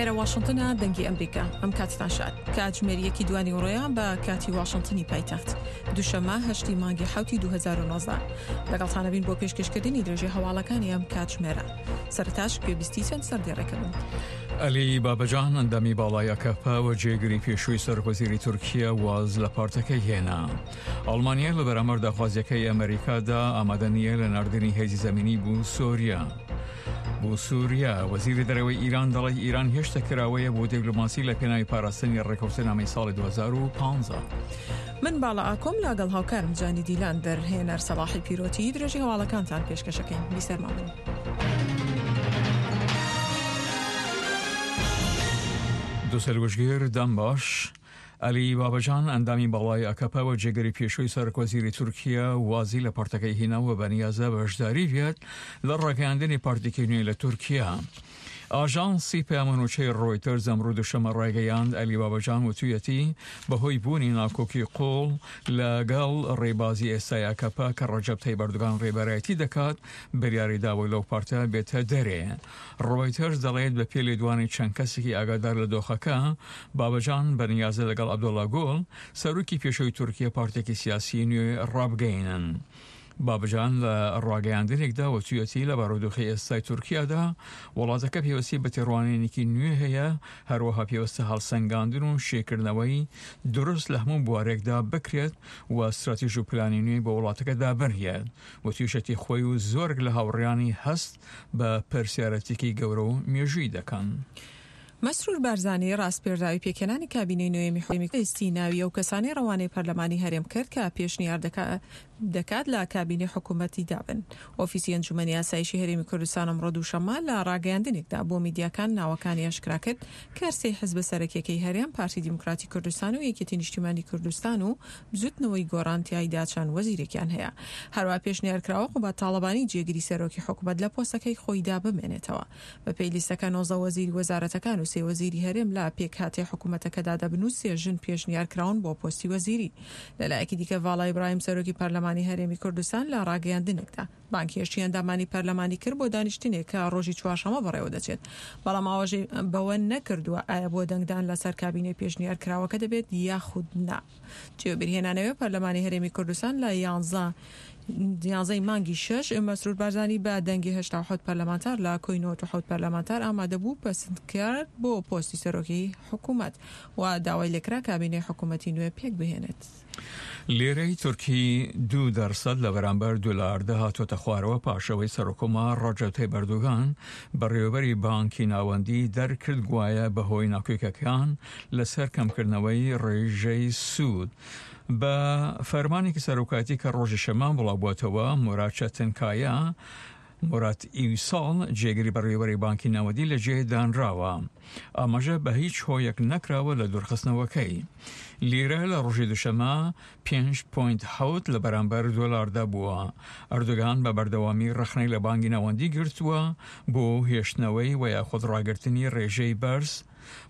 ئێرە واشنتنە دەنگی ئەمریکا ئەم کاتتان شاد کاتژمێر یەکی دوانی وڕۆیە بە کاتی واشنتنی پایتەخت دوشەمە هەشتی مانگی حوتی 2019 لەگەڵتانەبین بۆ پێشکەشکردنی درێژەی هەواڵەکانی ئەم کاتژمێرە سەرتاش گوێبیستی چەند سەردێڕێکە بن. عەلی بابەجان ئەندامی باڵای ئەکەپە و جێگری پێشووی سەرۆکوەزیری تورکیا واز لە پارتەکەی هێنا. ئەڵمانیا لە بەرامبەر داخوازیەکەی ئەمریکادا ئامادە نییە لە ناردنی هێزی زەمینی بۆ سۆریا. بۆ سووریا وەزیری دەرەوەی ئیران دەڵێت ئیران هێشتا کراوەیە بۆ دیبلۆماسی لە پێناوی پاراستنی ڕێکەوتنامەی ساڵی 2015. من باڵا ئاکۆم لاگەڵ هاوکارم جانی دیلان دەرهێنەر سەڵاحی پیرۆتی درێژی هەواڵەکانتان پێشکەشەکەین بیسەرمان بن. دوسەروشگیر دەم باش. عەلی بابەجان، ئەندامی باڵای ئاکەپە و جێگری پێشووی سەرۆکوەزیری تورکیا وازی لە پارتەکەی هینا و بەنیازە بەشداری بێت لە ڕاگەیاندنی پارتێکی نوێ لە تورکیا. ئاژانسی پەیامەنوچەی ڕۆیتەرز ئەمڕۆ دوشەمە ڕایگەیاند عەلی بابەجان وتویەتی بەهۆی بوونی ناکۆکی قوڵ لەگەڵ ڕێبازی ئێستای ئاکەپە کە ڕەجەب تەیب ئەردۆگان ڕێبەرایەتی دەکات بریاری داوە لەو پارتە بێتە دەرێ. ڕۆیتەرز دەڵێت بە پێی لێدوانی چەند کەسێکی ئاگادار لە دۆخەکە، بابەجان بەنیازە لەگەڵ عەبدوڵا گوڵ، سەرۆکی پێشووی تورکیە پارتێکی سیاسی نوێ ڕابگەینن. بابەجان لە ڕاگەیاندنێکدا وتویەتی لە بارودۆخی ئێستای تورکیادا وڵاتەکە پێویستی بە تێڕوانینێکی نوێ هەیە، هەروەها پێویستە هەڵسەنگاندن و شیکردنەوەی دروست لە هەموو بوارێکدا بکرێت و ستراتیژ و پلانی نوێ بۆ وڵاتەکە دابنرێت. وتویشەتی خۆی و زۆرێک لە هاوڕێیانی هەست بە پرسیارەتێکی گەورە و مێژووی دەکەن. مەسرور بارزانی ڕاسپێردراوی پێکهێنانی کابینەی نۆیەمی حکومەتی لیستی ناوی ئەو کەسانەی ڕەوانەی پەرلەمانی هەرێم کرد کە پێشنیار دەکات لە کابینەی حکومەتیدا بن. ئۆفیسی ئەنجومەنی ئاسایشی هەرێمی کوردستان ئەمڕۆ دووشەممە لە ڕاگەیاندنێکدا بۆ میدیاکان ناوەکانی ئاشکرا کرد کە هەرسێ حزبە سەرەکیەکەی هەرێم پارتی دیموکراتی کوردستان و یەکێتی نیشتیمانی کوردستان و بزوتنەوەی گۆڕان تیایدا چەند وەزیرێکیان هەیە. هەروەها پێشنیارکراوە قوباد تاڵەبانی جێگری سەرۆکی حکومەت لە پۆستەکەی خۆیدا بمێنێتەوە. بەپێی لیستەکە 19 وەزیری وەزارەتەکان و سێ وەزیری هەرێم لە پێکهاتەی حکومەتەکەدا دەبن و سێ ژن پێشنیارکراون بۆ پۆستی وەزیری. لەلایەکی دیکە ڤاڵا ئیبراهیم سەرۆکی پەرلەمانی هەرێمی کوردستان لە ڕاگەیاندنێکدا بانگهێشتی ئەندامانی پەرلەمانی کرد بۆ دانیشتنێک کە ڕۆژی چوارشەممە بەڕێوەدەچێت، بەڵام ئاواژەی بەوە نەکردووە ئایا بۆ دەنگدان لەسەر کابینەی پێشنیارکراوەکە دەبێت یاخود نا. جێی وەبیرهێنانەوەیە پەرلەمانی هەرێمی کوردستان لە یانزە یانزەی مانگی شەش مەسرور بارزانی بە دەنگی 87 پەرلەمانتار لە کۆی 97 پەرلەمانتار ئامادەبوو پەسند کرد بۆ پۆستی سەرۆکی حکوومەت و داوای لێکرا کابینەی حکوومەتی نوێ پێک بهێنێت. لیرەی تورکی 2% لە بەرامبەر دۆلاردا هاتووەتە خوارەوە پاش ئەوەی سەرۆککۆمار ڕەجەب تەیب ئەردۆگان بەڕێوەبەری بانکی ناوەندی دەرکرد گوایە بەهۆی ناکۆکیەکان لەسەر کەمکردنەوەی ڕێژەی سوود. بە فەرمانێکی سەرۆکایەتی کە ڕۆژی شەممە بڵاوبووەتەوە، موراد چەتنکایا، موراد ئیوساڵ، جێگری بەڕێوەبەری بانکی ناوەندی لە جێ دانراوە. ئاماژە بە هیچ هۆیەک نەکراوە لە دوورخستنەوەکەی. لیرە لە ڕۆژی دوشەمە 5.7 لە بەرامبەر دۆلاردا بووە. ئەردۆگان بە بەردەوامی ڕەخنەی لە بانکی ناوەندی گرتووە بۆ هێشتنەوەی و یاخود ڕاگرتنی ڕێژەی بەرز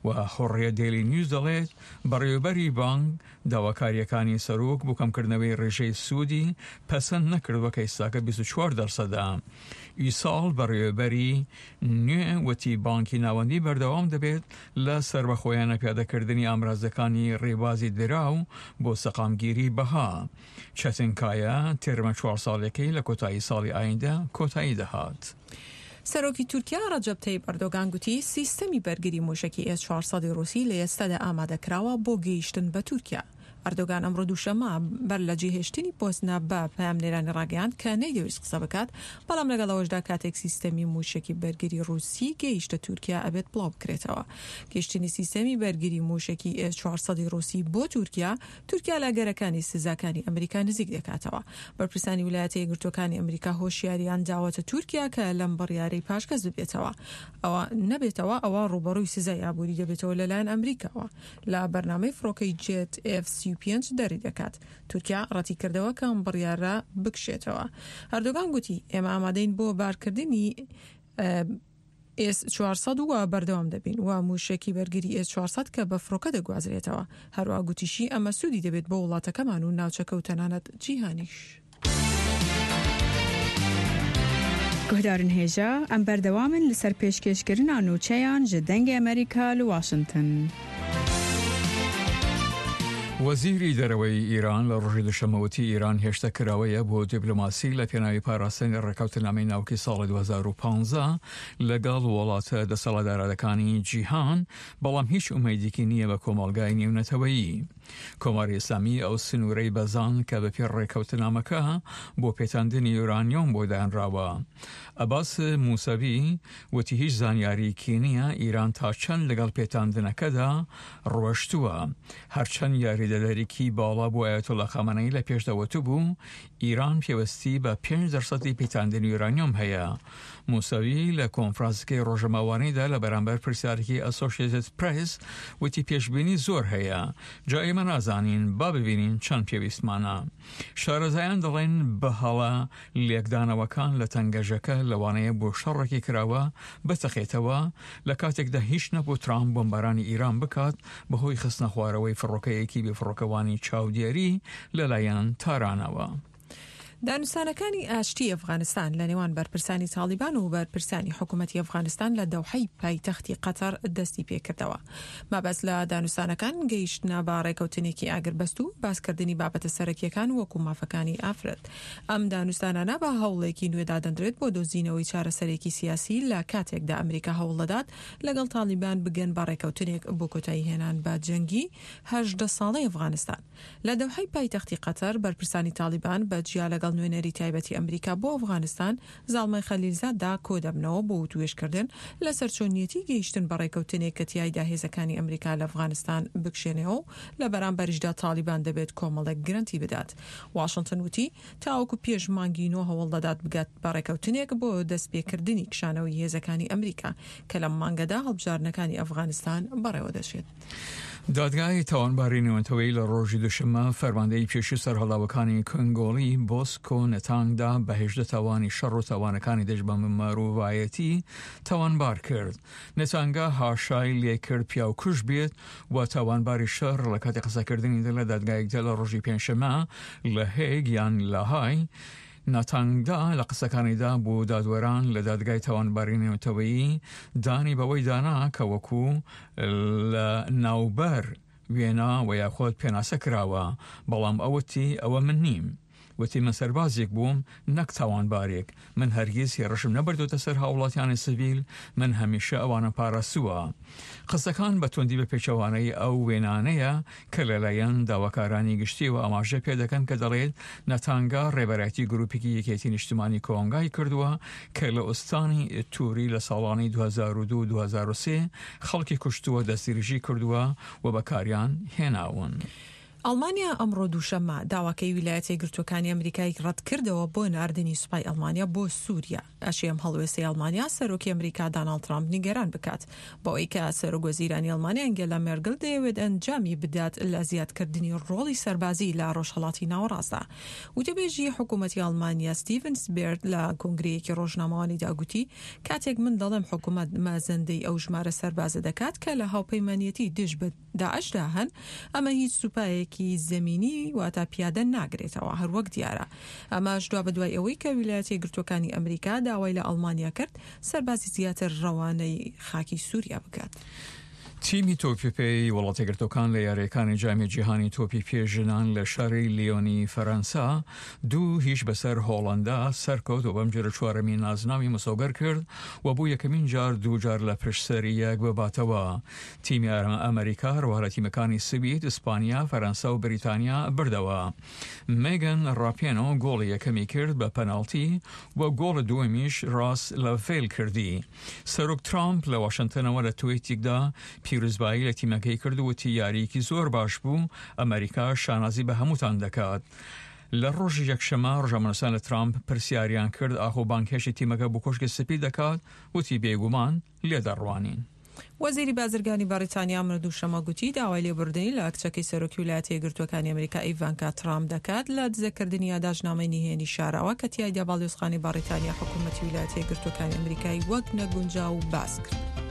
و حوڕیە دەیلی نیوز دەڵێت، بەڕێوەبەری بانک داواکارییەکانی سەرۆک بۆ کەمکردنەوەی ڕێژەی سوودی پەسەند نەکردووە کە ئیستاکە 24 دەرسەدە. ئیساڵ بەڕێوەبەری نوێ وتی بانکی ناوەندی بەردەوام دەبێت لە سەربەخۆیانە پیادەکردنی ئامرازەکانی ڕێبازی دراو بۆ سەقامگیری بەها. چەتنکایە تێرمە چوار ساڵیەکەی لە کۆتایی ساڵی ئایندە کۆتایی دەهات. سەرۆکی تورکیا ڕەجەب تەیب ئەردۆگان گوتی، سیستەمی بەرگری مووشەکی ئێس 400 ی ڕووسی لە ئێستادا ئامادەکراوە بۆ گەیشتن بە تورکیا. ئەردۆگان ئەمڕۆ دووشەممە بەر لە جێهێشتنی بۆسنە بە پەیامنێرانی ڕاگەیاند کە نەیدەویست قسە بکات، بەڵام لەگەڵ ئەوەشدا کاتێک سیستەمی مووشەکی بەرگری ڕووسی گەیشتە تورکیا ئەبێت بڵاو بکرێتەوە. گەیشتنی سیستەمی بەرگری مووشەکی ئێس 400 ی ڕووسی بۆ تورکیا تورکیا لە ئەگەرەکانی سزاکانی ئەمریکا نزیک دەکاتەوە. بەرپرسانی ویلایەتە یەکگرتووەکانی ئەمریکا هۆشیارییان داوەتە تورکیا کە لەم بڕیارەی پاشگەز ببێتەوە ئەوە نەبێتەوە ئەوا ڕووبەڕووی سزای ئابووری دەبێتەوە لەلایەن ئەمریکاوە لە بەرنامەی فڕۆکەی جێت ئێف 35 دەری دەکات. تورکیا ڕەتیکردەوە کە ئەم بڕیارە بکشێتەوە. ئەردۆگان گوتی، ئێمە ئامادەین بۆ بارکردنی ئێس 400 و بەردەوام دەبین و مووشەکی بەرگری ئێس 400 کە بە فڕۆکە دەگوازرێتەوە. هەروەها گوتیشی ئەمە سوودی دەبێت بۆ وڵاتەکەمان و ناوچەکە و تەنانەت جیهانیش. Guhdarên hêja, em berdewam in li ser pêşkêşkirina nûçeyan ji Dengê Amerîka li Washington. وەزیری دەرەوەی ئیران لە ڕۆژی دوشەممە وتی ئیران هێشتا کراوەیە بۆ دیپلۆماسی لە پێناوی پاراستنی ڕێککەوتنامەی ناوکی ساڵی 2015 لەگەڵ وڵاتە دەسەڵاتدارەکانی جیهان، بەڵام هیچ ئومێدێکی نییە بە کۆمەڵگای نێونەتەوەیی. کۆماری ئیسلامی ئەو سنوورەی بەزاند کە بەپێی ڕێککەوتنامەکە بۆ پێتاندنی یۆرانیۆم بۆ دانراوە. عەباس موسەوی وتی هیچ زانیارییەکی نییە ئیران تا چەند لەگەڵ پێتاندنەکەدا ڕۆشتووە. هەرچەند یاریدەدەرێکی باڵا بۆ ئایەتوڵا خامەنەیی لە پێشدا وتبوو ئیران پێوستی بە پێنج دەرسەدی پیتاندنی یۆرانیۆم هەیە. موسەوی لە کۆنفرانسەکەی ڕۆژەماوانیدا لە بەرامبەر پرسیارێکی ئەسۆشێتد پرێس وتی پێشبینی زۆر هەیە، جا ئێمە نازانین، با ببینین چەند پێویستمانە. شارەزایان دەڵێن بە هەڵە لێکدانەوەکان لە تەنگەژەکە لەوانەیە بۆ شەڕێکی کراوە بتەقێتەوە، لە کاتێکدا هیچ نەبوو ترامپ بۆمبارانی ئیران بکات بەهۆی خستنەخوارەوەی فڕۆکەیەکی بێفڕۆکەوانی چاودێری لەلایەن تارانەوە. دانوستانەکانی ئاشتی ئەفغانستان لە نێوان بەرپرسانی تاڵیبان و بەرپرسانی حکوومەتی ئەفغانستان لە دەوحەی پایتەختی قەتەر دەستی پێکردەوە. مەبەست لە دانوستانەکان گەیشتنە بە ڕێکەوتنێکی ئاگربەست و باسکردنی بابەتە سەرەکییەکان وەکو مافەکانی ئافرەت. ئەم دانوستانانە بە هەوڵێکی نوێ دادەندرێت بۆ دۆزینەوەی چارەسەرێکی سیاسی لە کاتێکدا ئەمریکا هەوڵدەدات لەگەڵ تاڵیبان بگەن بە ڕێکەوتنێک بۆ کۆتاییهێنان بە جەنگی 18 ساڵەی ئەفغانستان. لە دەوحەی پایتەختی قەتەر، بەرپرسانی تاڵیبان بە جیا لەگەڵ نوێنەری تایبەتی ئەمریکا بۆ ئەفغانستان، زاڵمای خەلیلزاددا کۆدەبنەوە بۆ وتوێژکردن لەسەر چۆنیەتی گەیشتن بە ڕێکەوتنێک کە تیایدا هێزەکانی ئەمریکا لە ئەفغانستان بکشێنەوە و لە بەرامبەریشدا تاڵیبان دەبێت کۆمەڵێک گرەنتی بدات. واشنتن وتی، تاوەکو پێش مانگی نۆ هەوڵدەدات بگات بە ڕێکەوتنێک بۆ دەستپێکردنی کشانەوەی هێزەکانی ئەمریکا کە لەم مانگەدا هەڵبژاردنەکانی ئەفغانستان بەڕێوەدەچێت. دادگای تاوانباری نێونەتەوەیی لە ڕۆژی دوشەممە فەرماندەی پێشووی سەرهەڵداوەکانی کۆنگۆلی بۆسکۆ نەتانگدا بە 18 تاوانی شەڕ و تاوانەکانی دژ بە مرۆڤایەتی تاوانبار کرد. نەتانگا هاشای لێکرد پیاوکوژ بێت و تاوانباری شەڕ لە کاتی قسەکردنیدا لە دادگایەکدا لە ڕۆژی پێنجشەممە لە هێگ یان لاهای ناتانگدا لە قسەکانیدا بۆ دادوەران لە دادگای تاوانباری نێونەتەوەیی دانی بەوەی دانا کە وەکو لە ناوبەر وێنا و یاخود پێناسە کراوە، بەڵام ئەو وتی ئەوە من نیم. وتی من سەربازێک بووم نەک تاوانبارێک، من هەرگیز هێڕشم نەبردۆتە سەر هاوڵاتیانی سڤیل، من هەمیشە ئەوانم پاراستووە. قسەکان بە توندی بە پێچەوانەی ئەو وێنانەیە کە لەلایەن داواکارانی گشتیەوە ئاماژە پێدەکەن کە دەڵێت نەتانگا ڕێبەرایەتی گروپێکی یەکێتی نیشتمانی کۆنگای کردووە کە لە ئوستانی توری لە ساڵانی 2002 2003 خەڵکی کوشتووە، دەستدرێژی کردووە و بەکاریان هێناون. ئەڵمانیا ئەمڕۆ دووشەممە داواکەی ویلایەتە یەکگرتووەکانی ئەمریکای ڕەتکردەوە بۆ ناردنی سوپای ئەڵمانیا بۆ سووریا. ئەشێ ئەم هەڵوێستەی ئەڵمانیا سەرۆکی ئەمریکا داناڵد ترامپ نیگەران بکات بەوەی کە سەرۆک وەزیرانی ئەڵمانیا ئەنگێلا مێرگل دەیەوێت ئەنجامی بدات لە زیادکردنی ڕۆڵی سەربازی لە ڕۆژهەڵاتی ناوەڕاستدا. وتەبێژی حکوومەتی ئەڵمانیا ستیڤن سبێرت لە کۆنگرەیەکی ڕۆژنامەوانیدا گوتی کاتێک من دەڵێم حکوومەت مەزەندەی ئەو ژمارە سەربازە دەکات کە لە هاوپەیمانیەتی دژ بە داعشدا هەن، ئەمە هیچ سوپایەکی زەمینی واتە پیادە ناگرێتەوە، هەروەک دیارە ئەمەش دوابەدوای ئەوەی کە ویلایەتە یەکگرتووەکانی ئەمریکا داوای لە ئەڵمانیا کرد سەربازی زیاتر ڕەوانەی خاکی سووریا بکات. تیمی تۆپی پێی وڵاتەیەکگرتووەکان لە یارییەکانی جامی جیهانی تۆپی پێ ژنان لە شاری لیۆنی فەرەنسا 2-0 بەسەر هۆڵەندا سەرکەوت و بەم جۆرە چوارەمین نازناوی مسۆگەر کرد و بۆ یەکەمین جار دوو جار لە پشت سەری یەک بباتەوە. تیمی ئەمریکا هەروەها لە تیمەکانی سوید، ئیسپانیا، فەرەنسا و بریتانیا بردەوە. مێگن ڕاپێنۆ گۆڵی یەکەمی کرد بە پەناڵتی و گۆڵی دووەمیش ڕاس لەڤێل کردی. سەرۆک ترامپ لە واشنتنەوە لە تویتێکدا پیرۆزبایی لە تیمەکەی کرد و وتی یارییەکی زۆر باش بوو، ئەمریکا شانازی بە هەمووتان دەکات. لە ڕۆژی یەکشەممە ڕۆژنامەنووسان لە ترامپ پرسیاریان کرد ئاخۆ بانگهێشتی تیمەکە بۆ کۆشکی سپی دەکات، وتی بێگومان لێ دەڕوانین. وەزیری بازرگانی بەڕیتانیا ئەمڕۆ دووشەممە گوتی داوای لێبوردنی لە کچەکەی سەرۆکی ویلایەتە یەکگرتووەکانی ئەمریکا ئیڤانکا ترامپ دەکات لە دزەکردنی یاداشتنامەی نهێنی شاراوە کە تیایدا باڵیۆزخانەی بەڕیتانیا حکوومەتی ویلایەتە یەکگرتووەکانی ئەمریکای وەک نەگونجاو باس کرد.